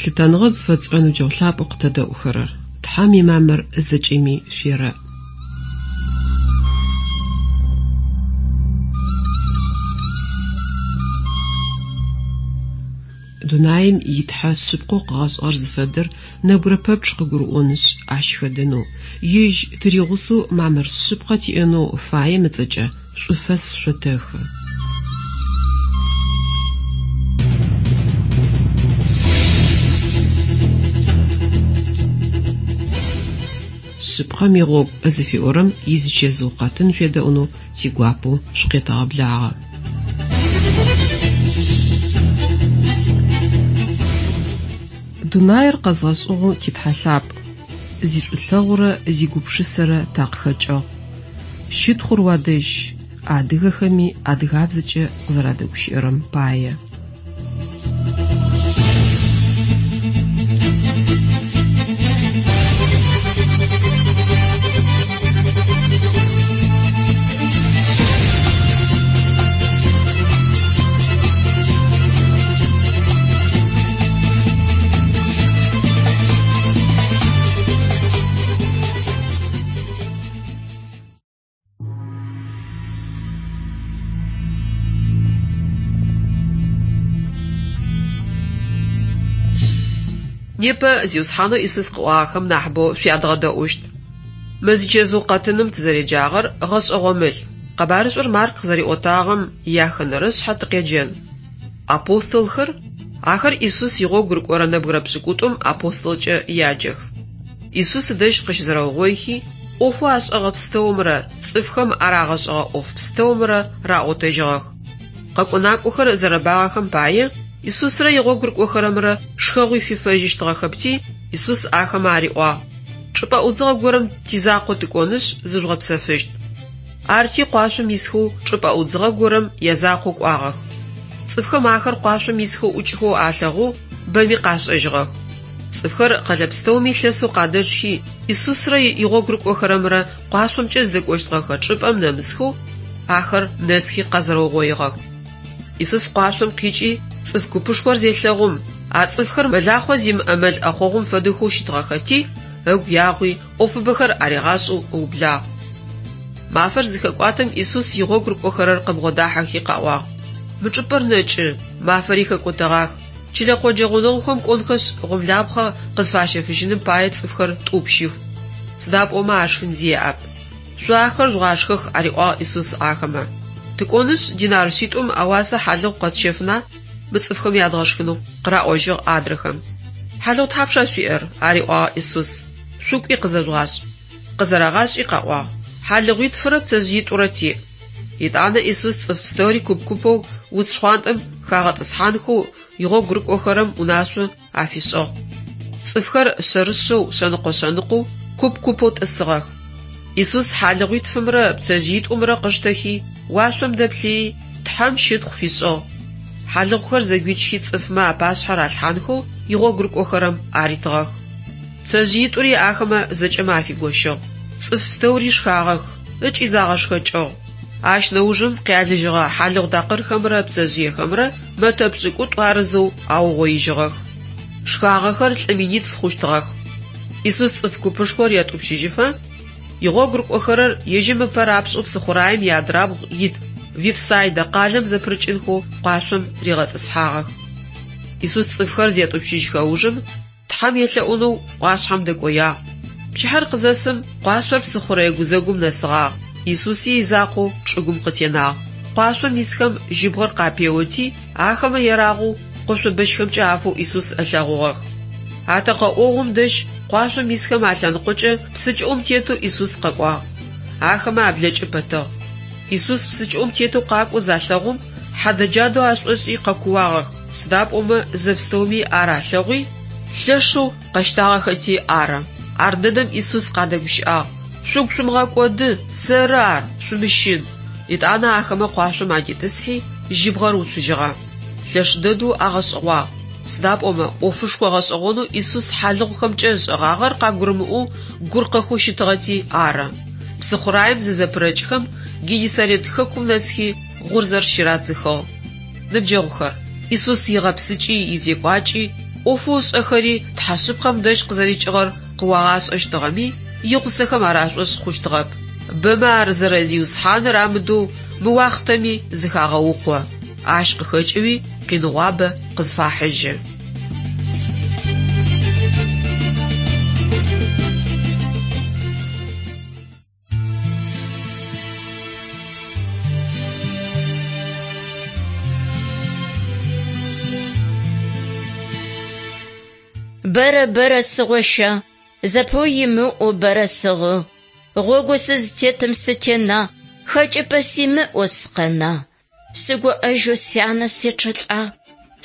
Лъытэныгъэ зыфэтшӏырэ ныбджэгъу лъапӏэу къытэдэӏухэрэр, Тхьэм имамыр зэкӏэми шъуерэӏ. Дунаим и Тхьэ шъыпкъэу къыгъэшӏыгъэр зыфэдэр нэбгырэ пэпчъ къыгурыӏонышъ, ащ хэдэнэу, ежь тыригъусэу мамыр шъыпкъэ тиӏэнэу фаем ыцӏэкӏэ шӏуфэс шъотэхы. Шъыпкъэм игъогу зыфиӏорэм изычэзыу къэтын шъуедэӏунэу тигуапэу шъукъетэгъэблагъэ. Дунаир къэзгъэшӏыгъэу ти Тхьэ лъапӏ, зишӏулъэгъурэ зигупшысэрэ такъыхэкӏыгъ. Щытхъур уадэжь, адыгэхэми адыгабзэкӏэ къызэрадэгущыӏэрэм пае. Непэ Зиусхьанэу Исус къыӏуагъэхэм нахьыбэу шъуядгъэдэӏущт. Мы зичэзыу къэтыным тызэреджагъэр гъэшӏэгъомыл. Къэбарышӏур Марк къызэриӏотагъэм яхэнэрэ шъхьэ тыкъеджэн. Апостолхэр, ахэр Исус игъогу рыкӏорэ нэбгырэ пшӏыкӏутӏум апостолкӏэ яджэх. Исус ыдэжь къыщызэрэугъоихи, ӏофэу ашӏэгъэ пстэумрэ цӏыфхэм арагъэшӏэгъэ ӏоф пстэумрэ раӏотэжьыгъэх. Къэкӏо-накӏохэр зэрэбагъэхэм пае, Исусрэ игъогу рыкӏохэрэмрэ шхэгъуи фифэжьыщтыгъэхэпти, Исус ахэмэ ариӏуагъ, Чӏыпӏэ ӏудзыгъэ горэм тизакъоу тыкӏонышъ, зыжъугъэпсэфыщт. Арти къуашъом исхэу чӏыпӏэ ӏудзыгъэ горэм язакъоу кӏуагъэх. Цӏыфхэм ахэр къуашъом исхэу ӏукӏхэу алъэгъоу бэми къашӏэжьыгъэх. Цӏыфхэр къэлэ пстэуми лъэсэу къадэчъхи, Исусрэ игъогу рыкӏохэрэмрэ къуашъомкӏэ зыдэкӏощтыгъэхэ чӏыпӏэм нэмысхэу ахэр нэсхи къэзэрэугъоигъэх. Исус къуашъом къикӏи, цӏыф купышхор зелъэгъум, а цӏыфхэр мэлахъо зимыӏэ мэл ӏэхъогъум фэдэхэу щытыгъэхэти, ыгу ягъуи, ӏофыбэхэр аригъашӏэу ыублагъ. Мафэр зыхэкӏуатэм Исус игъогу рыкӏохэрэр къыбгъодахьэхи къаӏуагъ, Мы чӏыпӏэр нэкӏы, мафэри хэкӏотэгъах. Чылэ къоджэ гъунэгъухэм кӏонхэшъ, гъомлапхъэ къызфащэфыжьыным пае цӏыфхэр тӏупщых. Сыда пӏомэ ашхын зи яӏэп. Шъо ахэр жъугъашхэх, ариӏуагъ Исус ахэмэ. Тыкӏонышъ, динар шъитӏум ауасэ хьалыгъу къэтщэфына мы цӏыфхэм ядгъэшхынэу? къыраӏожьыгъ адрэхэм. Хьалыгъу тхьапша шъуиӏэр? ариӏуагъ Исус. Шъукӏуи къызэжъугъашӏ. Къызэрагъашӏи къаӏуагъ, Хьалыгъуитфырэ пцэжъыитӏурэ тиӏ. Етӏанэ Исус цӏыф пстэури куп-купэу уц шхъуантӏэм хагъэтӏысхьанхэу игъогу рыкӏохэрэм унашъо афишӏыгъ. Цӏыфхэр шъэрышъэу, шъэныкъо-шъэныкъоу, куп-купэу тӏысыгъэх. Исус хьалыгъуитфымрэ пцэжъыитӏумрэ къыштэхи, уашъом дэплъыий, Тхьэм щытхъу фишӏыгъ. Хьалыгъухэр зэгуичхи цӏыфмэ апашъхьэ ралъхьанхэу игъогу рыкӏохэрэм аритыгъэх. Пцэжъыитӏури ахэмэ зэкӏэмэ афигощыгъ. Цӏыф пстэури шхагъэх ыкӏи загъэшхэкӏыгъ. Ащ нэужым къялыжьыгъэ хьалыгъу такъырхэмрэ пцэжъыехэмрэ мэтэ пшӏыкӏутӏу арызэу аугъоижьыгъэх. Шхагъэхэр лӏы минитф хъущтыгъэх. Исус цӏыф купышхор етӏупщыжьыфэ, игъогу рыкӏохэрэр ежьым ыпэ рапшӏэу псыхъураем иадрабгъу ит Вифсайдэ къалэм зэпырыкӏынхэу къуашъом ригъэтӏысхьагъэх. Исус цӏыфхэр зетӏупщыжьхэ ужым, Тхьэм елъэӏунэу ӏуашъхьэм дэкӏоягъ. Пчыхьэр къызэсым, къуашъор псыхъурэе гузэгум нэсыгъагъ, Исуси изакъоу чӏыгум къытенагъ. Къуашъом исхэм жьыбгъэр къапеоти, ахэмэ ерагъэу къошъо бэщхэмкӏэ афэу Исус ылъэгъугъэх. Атэкъэ ӏогъум дэжь къуашъом исхэм алъэныкъокӏэ псы кӏыӏум тетэу Исус къэкӏуагъ. Ахэмэ аблэкӏы пэтыгъ. Исус псы кӏыӏум тетэу къакӏоу залъэгъум, хьадэ-джадэу ашӏошӏи къэкууагъэх. Сыда пӏомэ зэпстэуми ар алъэгъуи, лъэшэу къэщтагъэхэти ары. Ардэдэм Исус къадэгущыӏагъ, Шъугу шъумыгъэкӏоды, сэры ар, шъумыщын. Етӏанэ ахэмэ къуашъом адитӏысхьи, жьыбгъэр уцужьыгъэ. Лъэш дэдэу агъэшӏэгъуагъ, сыда пӏомэ ӏофышхо гъэшӏэгъонэу Исус хьалыгъухэмкӏэ ышӏэгъагъэр къагурымыӏоу гуркъэхэу щытыгъэти ары. Псыхъураем зызэпырэкӏхэм, Геннисарет хэкум нэсхи, гъурзэр щырадзыхыгъ. Ныбджэгъухэр, Исус игъэпсыкӏи изекӏуакӏи ӏофэу ышӏэхэри Тхьэ шъыпкъэм дэжь къызэрикӏыгъэр къыуагъашӏэщтыгъэми, игъусэхэм ар ашӏошъ хъущтыгъэп. Бэмэ ар зэрэ Зиусхьаныр амыдэу мы уахътэми зыхагъэукъо. Ащ къыхэкӏэуи къиныгъуабэ къызфахьыжьы. Бэрэ бэрэ сыгъощагъ, зэпыу имыӏэу бэрэ сыгъыгъ. Гъогоу сызытетым сытенагъ, хэкӏыпӏэ симыӏэу сыкъэнагъ. Сыгуӏэжьэу сянэ сечъэлӏагъ,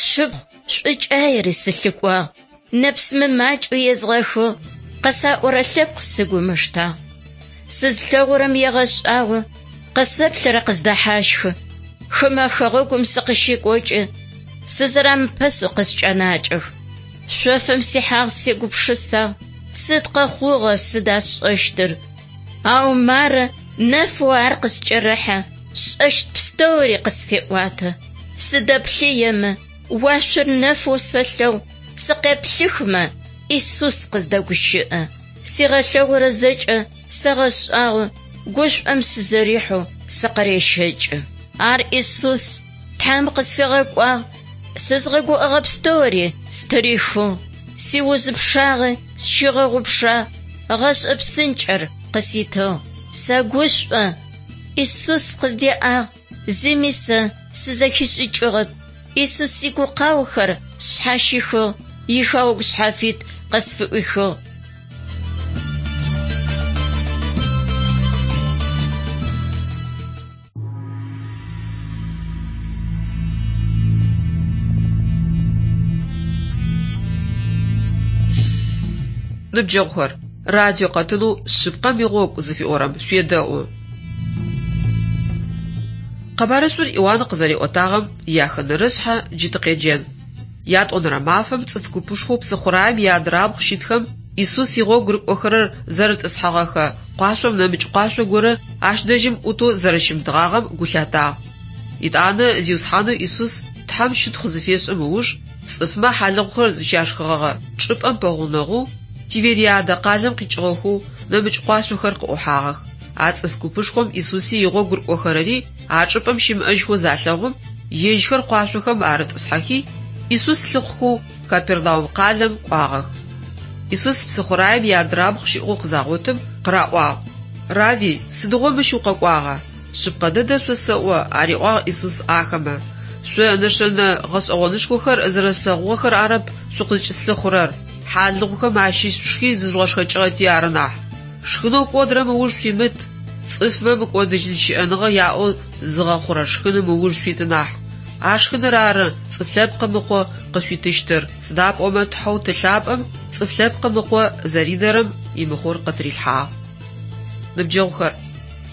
сшыпхъу шӏукӏаери сылъыкӏуагъ. Нэпс мымакӏэу езгъэхыгъ, къысаӏорэ лъэпкъ сыгу ымыштагъ. Сызлъэгъурэм егъэшӏагъо, къысэплъырэ къыздэхьащхы. Хымэ хэгъэгум сыкъыщекӏокӏы, сызэрамыпэсэу къыскӏэнакӏэх. Шъофым сихьагъ сегупшысагъ, сыд къэхъугъэр, сыда сшӏэщтыр? Ау мары нэфэу ар къыскӏэрэхьэ, сшӏэщт пстэури къысфеӏуатэ. Сыдэплъыемэ, уашъор нэфэу сэлъэгъу, сыкъеплъыхмэ, Исус къыздэгущыӏэ. Сигъэлъэгъурэ зэкӏэ сэгъэшӏагъо, гушӏом сызэрихьэу сыкъырещэкӏы. Ар Исус Тхьэм къысфигъэкӏуагъ, сызгъэгуӏэгъэ пстэури стырихыгъ, сиуз пчъагъи сщигъэгъупшагъ, гъэшӏэ псынкӏэр къыситыгъ. Сэгушӏо, Исус къыздеӏагъ, зыми сэ сызэхишӏыкӏыгъэп. Исус сигукъаохэр сшъхьащихыгъ, ихэгъэгу шъхьафит къысфыӏуихыгъ. Ныбджэгъухэр, радио къэтынэу Шъыпкъэм игъогу зыфиӏорэм шъуедэӏу. Къэбарышӏур Иуан къызэриӏотагъэм яхэнэрышъхьэ джы тыкъеджэн. Ятӏонэрэ мафэм цӏыф купышхоу псыхъураем иадрабгъу щытхэм Исус игъогу рыкӏохэрэр зэрытӏысхьэгъэхэ къуашъом нэмыкӏ къуашъо горэ ащ дэжьым ӏутэу зэрэщымытыгъагъэм гу лъатагъ. Етӏанэ Зиусхьанэу Исус Тхьэм щытхъу зыфешӏым ыуж цӏыфмэ хьалыгъухэр зыщашхыгъэгъэ чӏыпӏэм пэгъунэгъоу Тивериадэ къалэм къикӏыгъэхэу нэмыкӏ къуашъохэр къыӏухьагъэх. А цӏыф купышхом Исуси игъогу рыкӏохэрэри а чӏыпӏэм щымыӏэжьхэу залъэгъум, ежьхэр къуашъохэм арытӏысхьэхи, Исус лъыхъухэу Капернаум къалэм кӏуагъэх. Исус псыхъураем иадрабгъу щыӏэу къызагъотым, къыраӏуагъ: Рави, сыдигъо мыщ укъэкӏуагъа? Шъыпкъэ дэдэ шъосэӏо, ариӏуагъ Исус ахэмэ, шъо нэшэнэ гъэшӏэгъонышхохэр зэрэшъулъэгъугъэхэр арэп шъукъызкӏыслъыхъурэр, хьалыгъухэм ащыщ шъушхи зыжъугъэшхэкӏыгъэти ары нахь. Шхынэу кӏодырэм ыуж шъуимыт, цӏыфмэ мыкӏодыжьын щыӏэныгъэ яӏэу зыгъэхъурэ шхыным ыуж шъуит нахь. А шхыныр ары Цӏыф Лъэпкъым Ыкъо къышъуитыщтыр, сыда пӏомэ Тхьэу Ты лъапӏэм Цӏыф Лъэпкъым Ыкъо зэридэрэм имыхъур къытырилъхьагъ. Ныбджэгъухэр,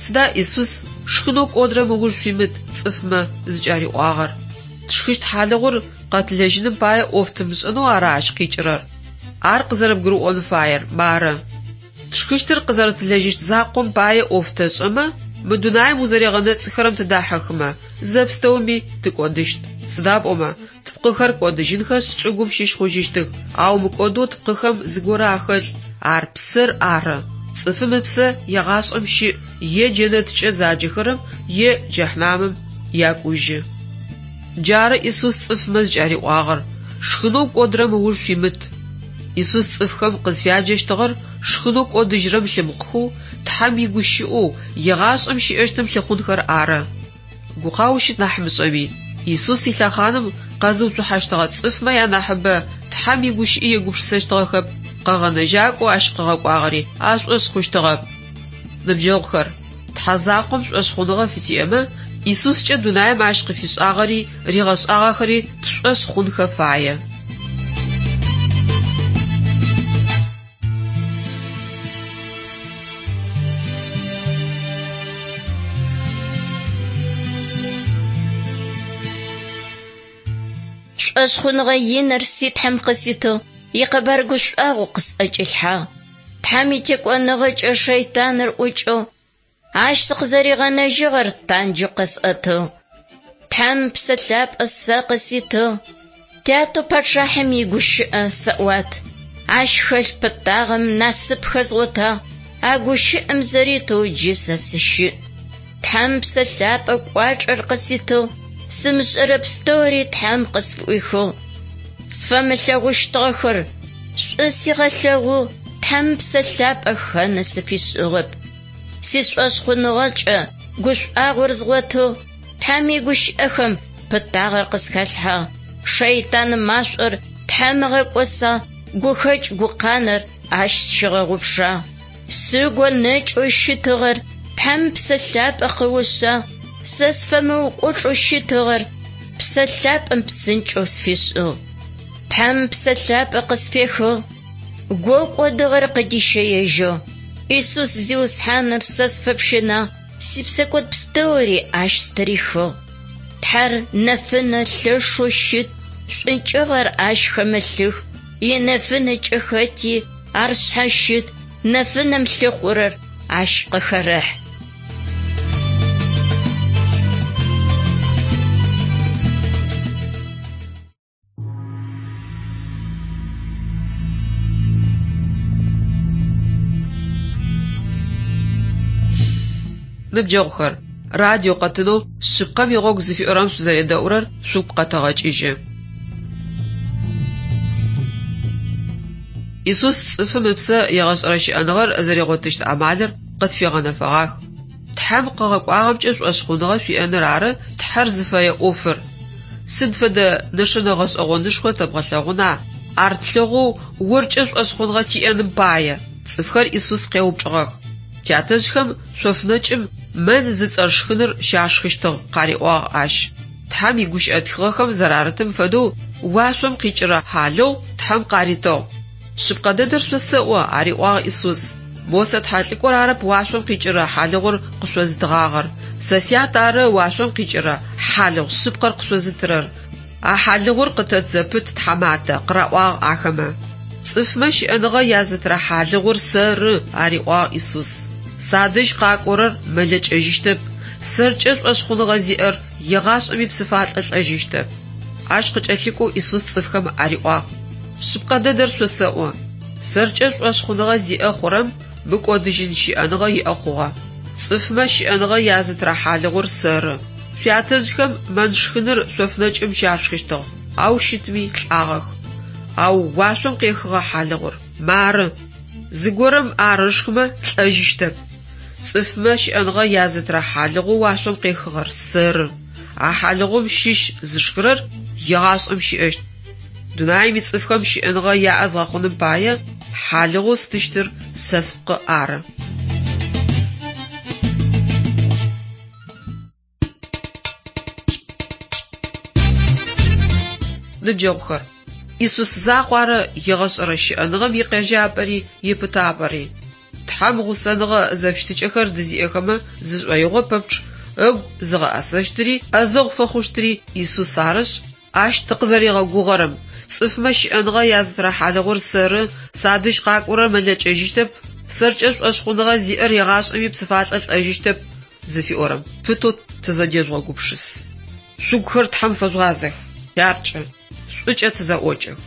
сыда Исус шхынэу кӏодырэм ыуж шъуимыт цӏыфмэ зыкӏариӏуагъэр? Тшхыщт хьалыгъур къэтылэжьыным пае ӏоф тымышӏэнэу ара ащ къикӏырэр? Ар къызэрэбгурыӏон фаер мары. Тшхыщтыр къызэрэтылэжьыщт закъом пае ӏоф тэшӏэмэ, мы дунаим узэрегъэнэцӏыхэрэм тыдахьыхымэ, зэпстэуми тыкӏодыщт. Сыда пӏомэ, тпкъыхэр кӏодыжьынхэшъ чӏыгум щыщ хъужьыщтых, ау мыкӏодэу тпкъыхэм зыгорэ ахэлъ, ар псэр ары. Цӏыфым ыпсэ егъашӏэм щыӏ е джэнэткӏэ заджэхэрэм е джэхьнамым якӏужьы. Джары Исус цӏыфмэ зыкӏариӏуагъэр: Шхынэу кӏодырэм ыуж шъуимыт. Исус цӏыфхэм къызфяджэщтыгъэр шхынэу кӏодыжьырэм лъымыхъухэу, Тхьэм игущыӏэу, егъашӏэм щыӏэщтым лъыхъунхэр ары. Гукъау щыт нахь мышӏэми, Исус илъэхъаным къэзыуцухьэщтыгъэ цӏыфмэ янахьыбэ Тхьэм игущыӏи егупшысэщтыгъэхэп, Къэгъэнэжьакӏоу ащ къыгъэкӏуагъэри ашӏошъ хъущтыгъэп. Ныбджэгъухэр, Тхьэ закъом шӏошъхъуныгъэ фытиӏэмэ, Исускӏэ дунаим ащ къыфишӏагъэри ригъэшӏагъэхэри тшӏошъ хъунхэ фае. Шӏошъхъуныгъэ иныр си Тхьэм къыситыгъ, икъэбар гушӏуагъо къысӏэкӏилъхьагъ. Тхьэм итекӏоныгъэкӏэ шэйтаныр ӏукӏыгъ, ащ сыкъызэригъэнэжьыгъэр танджэу къэсӏэтыгъ. Тхьэм Псэ Лъапӏэ сэ къыситыгъ. Тятэу пачъахьым игущыӏэ сэӏуат. Ащ хэлъ пытагъэм насып хэзгъотагъ, а гущыӏэм зэритэу джы сэ сыщыӏ. Тхьэм Псэ Лъапӏэ кӏуачӏэр къыситыгъ, сымышӏэрэ пстэури Тхьэм къысфыӏуихыгъ. Сфэмылъэгъущтыгъэхэр шӏу сигъэлъэгъугъ, Тхьэм Псэ Лъапӏэ хэны сыфишӏыгъэп. Сишӏошъхъуныгъэкӏэ гушӏуагъор згъотыгъ, Тхьэм игущыӏэхэм пытагъэр къысхалъхьагъ. Шэйтан машӏор Тхьэм ыгъэкӏосагъ, гухэкӏ гукъанэр ащ сщигъэгъупшагъ. Сыгу нэкӏэу щытыгъэр Тхьэм Псэ Лъапӏэ къыушъагъ, сэ сфэмыукӏочӏэу щытыгъэр Псэ Лъапӏэм псынкӏэу сфишӏыгъ. Тхьэм Псэ Лъапӏэ къысфехыгъ, гоу кӏодыгъэр къыдищэежьыгъ. Исус Зиусхьаныр сэ сфэпщынагъ, сипсэкӏод пстэури ащ стырихыгъ. Тхьэр нэфынэ лъэшэу щыт, шӏункӏыгъэр ащ хэмылъых. Инэфынэкӏэ хэти ар шъхьащыт, нэфынэм лъыхъурэр ащ къыхэрэхь. Ныбджэгъухэр, радио къэтынэу Шъыпкъэм игъогу зыфиӏорэм шъузэредэӏурэр шъугу къэтэгъэкӏыжьы. Исус цӏыфым ыпсэ егъэшӏэрэ щыӏэныгъэр зэригъотыщт амалыр къытфигъэнэфэгъах. Тхьэм къыгъэкӏуагъэмкӏэ шӏошъхъуныгъэ шъуиӏэныр ары Тхьэр зыфэе ӏофыр. Сыд фэдэ нэшэнэ гъэшӏэгъонышхо тэбгъэлъэгъуна, ар тлъэгъоу оркӏэ шӏошъхъуныгъэ тиӏэным пае? Цӏыфхэр Исус къеупчӏыгъэх. Тятэжъхэм шъофнэкӏым мэнн зыцӏэ шхыныр щашхыщтыгъ, къариӏуагъ ащ. Тхьэм игущыӏэ тхыгъэхэм зэрарытым фэдэу уашъом къикӏырэ хьалыгъу Тхьэм къаритыгъ. Шъыпкъэ дэдэр шъосэӏо, ариӏуагъ Исус. Мосэ тхьэлӏыкӏор арэп уашъом къикӏырэ хьалыгъур къышъозытыгъагъэр. Сэ Сят ары уашъом къикӏырэ хьалыгъу шъыпкъэр къышъозытырэр. А хьалыгъур къытэт зэпыт, тхьаматэ, къыраӏуагъ ахэмэ. Цӏыфмэ щыӏэныгъэ язытырэ хьалыгъур сэры, ариӏуагъ Исус. Садэжь къакӏорэр мэлэкӏэжьыщтэп, сэркӏэ шӏошъхъуныгъэ зиӏэр егъашӏэми псыфалӏэ лӏэжьыщтэп. Ащ къыкӏэлъыкӏоу Исус цӏыфхэм ариӏуагъ: Шъыпкъэ дэдэр шъосэӏо, сэркӏэ шӏошъхъуныгъэ зиӏэ хъурэм мыкӏодыжьын щыӏэныгъэ иӏэ хъугъэ. Цӏыфмэ щыӏэныгъэ язытырэ хьалыгъур сэры. Шъуятэжъхэм мэнн шхыныр шъофнэкӏым щашхыщтыгъ, ау щытми лӏагъэх. Ау уашъом къехыгъэ хьалыгъур мары. Зыгорэм ар ышхымэ лӏэжьыщтэп. Цӏыфмэ щыӏэныгъэ язытырэ хьалыгъоу уашъом къехыгъэр сэры. А хьалыгъум щыщ зышхырэр егъашӏэм щыӏэщт. Дунаим ицӏыфхэм щыӏэныгъэ яӏэ згъэхъуным пае хьалыгъоу стыщтыр сэ спкъы ары. Ныбджэгъухэр, Исус закъу ары егъэшӏэрэ щыӏэныгъэм икъежьапӏэри ипытапӏэри. Тхьэм гъусэныгъэ зэфыщытыкӏэхэр дызиӏэхэмэ зышӏоигъо пэпчъ ыгу зыгъэӏэсэщтыри ӏэзэгъу фэхъущтыри Исус арышъ, ащ тыкъызэригъэгугъэрэм, цӏыфмэ щыӏэныгъэ язытырэ хьалыгъур сэры, садэжь къакӏорэр мэлэкӏэжьыщтэп, сэркӏэ шӏошъхъуныгъэ зиӏэр егъашӏэми псыфалӏэ лӏэжьыщтэп зыфиӏорэм пытэу тызэдежъугъэгупшыс. Шъугухэр Тхьэм фэжъугъазэх, хъяркӏэ, шӏукӏэ тызэӏокӏэх.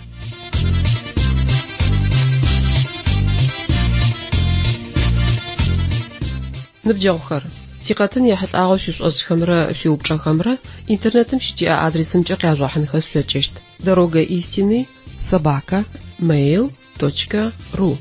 Ныбджэгъухэр, тикъэтын ехьылӏагъэу шъуишӏошӏхэмрэ шъуиупчӏэхэмрэ интернетым щытиӏэ адресымкӏэ къяжъугъэхьынхэ шъулъэкӏыщт: дорога истины собака mail точка ру.